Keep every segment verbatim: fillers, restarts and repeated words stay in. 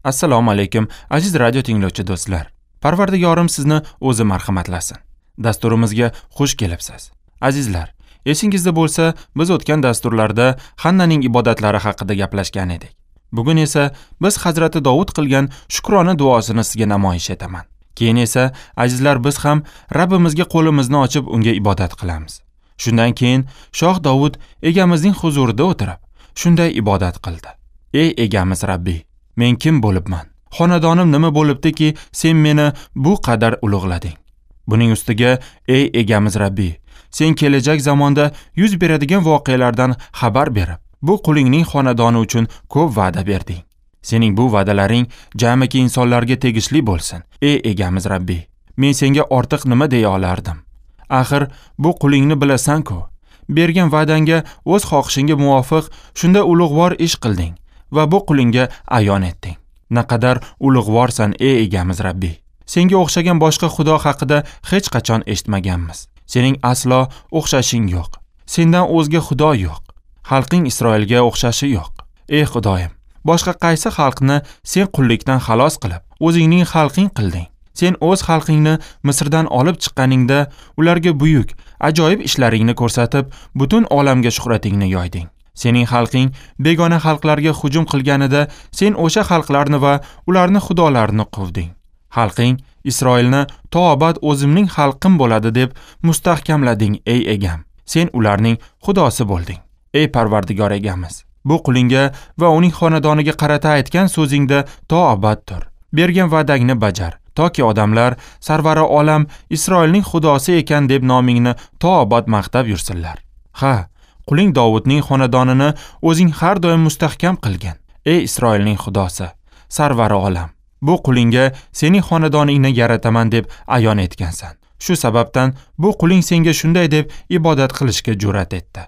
Assalomu alaykum aziz radio tinglovchi do'stlar. Parvardigorim sizni o'zi marhamatlasin. Dasturimizga xush kelibsiz. Azizlar, esingizda bo'lsa, biz o'tgan dasturlarda Hannaning ibodatlari haqida gaplashgan edik. Bugun esa biz Hazrati Dovud qilgan shukrona duosini sizga namoyish etaman. Keyin esa azizlar biz ham Rabbimizga qo'limizni ochib unga ibodat qilamiz. Shundan keyin Shoh Dovud egamizning huzurida o'tirib, shunday ibodat qildi. Ey egamiz Rabbi, men kim bo'libman? Xonadonim nima bo'libdiki, sen meni bu qadar ulug'lading? Buning ustiga, ey egamiz Rabbi, sen kelajak zamonda yuz beradigan voqealardan xabar berib, bu qulingning xonadoni uchun ko'p va'da berding. Sening bu va'dalaring jamiki insonlarga tegishli bo'lsin. Ey egamiz Rabbi, men senga ortiq nima deya olardim? Axir bu qulingni bilasan-ku. Bergan va'dangga o'z xohishingga muvofiq shunda ulug'vor ish qilding va bu qulingga ayon etding. Naqadar ulug'vorsan, ey egamiz Rabbi. Senga o'xshagan boshqa xudo haqida hech qachon eshitmaganmiz. Sening aslo o'xshashing yo'q. Sendan o'zga xudo yo'q. Xalqing Isroilga o'xshashi yo'q. Ey Xudoyim, boshqa qaysi xalqni sen qullikdan xalos qilib, o'zingning xalqing qilding? Sen o'z xalqingni Misrdan olib chiqqaningda ularga buyuk, ajoyib ishlaringni ko'rsatib, butun olamga shuhratingni yoyding. Sening xalqing begona xalqlarga hujum qilganida sen o'sha xalqlarni va ularni xudolarini quvding. Xalqing Isroilni to abad o'zimning xalqim bo'ladi deb mustahkamlading, ey egam. Sen ularning xudosi bo'lding. Ey Parvardigor egamiz, bu qulingga va uning xonadoniga qarata aytgan so'zingda to abad tur. Bergan va'dangni bajar, toki odamlar sarvari olam Isroilning xudosi ekan deb nomingni to abad maqtab yursinlar. Ha, quling Dovudning xonadonini o'zing har doim mustahkam qilgin. Ey Isroilning xudosi, sarvari olam, bu qulingga sening xonadoningni yarataman deb ayon etgansan. Shu sababdan bu quling senga shunday deb ibodat qilishga jur'at etdi.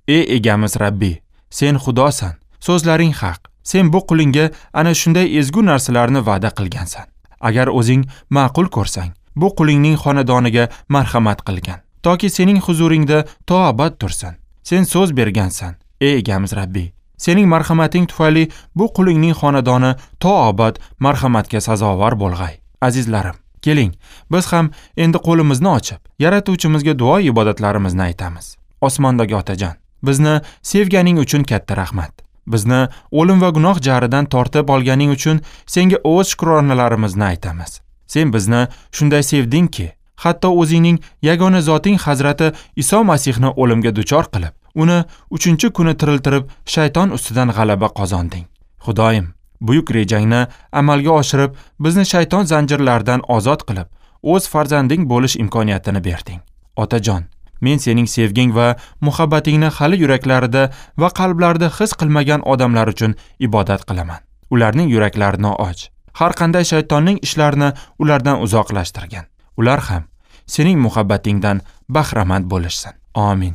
Ey egamiz Rabbi, sen xudosan, so'zlaring haq. Sen bu qulingga ana shunday ezgu narsalarni va'da qilgansan. Agar o'zing ma'qul ko'rsang, bu qulingning xonadoniga marhamat qilgan, toki sening huzuringda to abad tursin. Sen so'z bergansan, ey egamiz Rabbi. Sening marhamating tufayli bu qulingning xonadoni to abad marhamatga sazovor bo'lg'ay. Azizlarim, keling, biz ham endi qo'limizni ochib, Yaratuvchimizga duo ibodatlarimizni aytamiz. Osmondagi Otajon, bizni sevganing uchun katta rahmat. Bizni o'lim va gunoh jaridan tortib olganing uchun senga o'z shukronalarimizni aytamiz. Sen bizni shunday sevdingki, hatto o'zingning yagona zoting Hazrati Iso Masihni o'limga duchor qilib, uni uchinchi kuni tiriltirib, shayton ustidan g'alaba qozonding. Xudoyim, buyuk rejangni amalga oshirib, bizni shayton zanjirlaridan ozod qilib, o'z farzanding bo'lish imkoniyatini berding. Otajon, men sening sevging va muhabbatingni hali yuraklarida va qalblarida his qilmagan odamlar uchun ibodat qilaman. Ularning yuraklarini och. Har qanday shaytonning ishlarini ulardan uzoqlashtirgan. Ular ham sening muhabbatingdan bahramand bo'lishsin. Amin.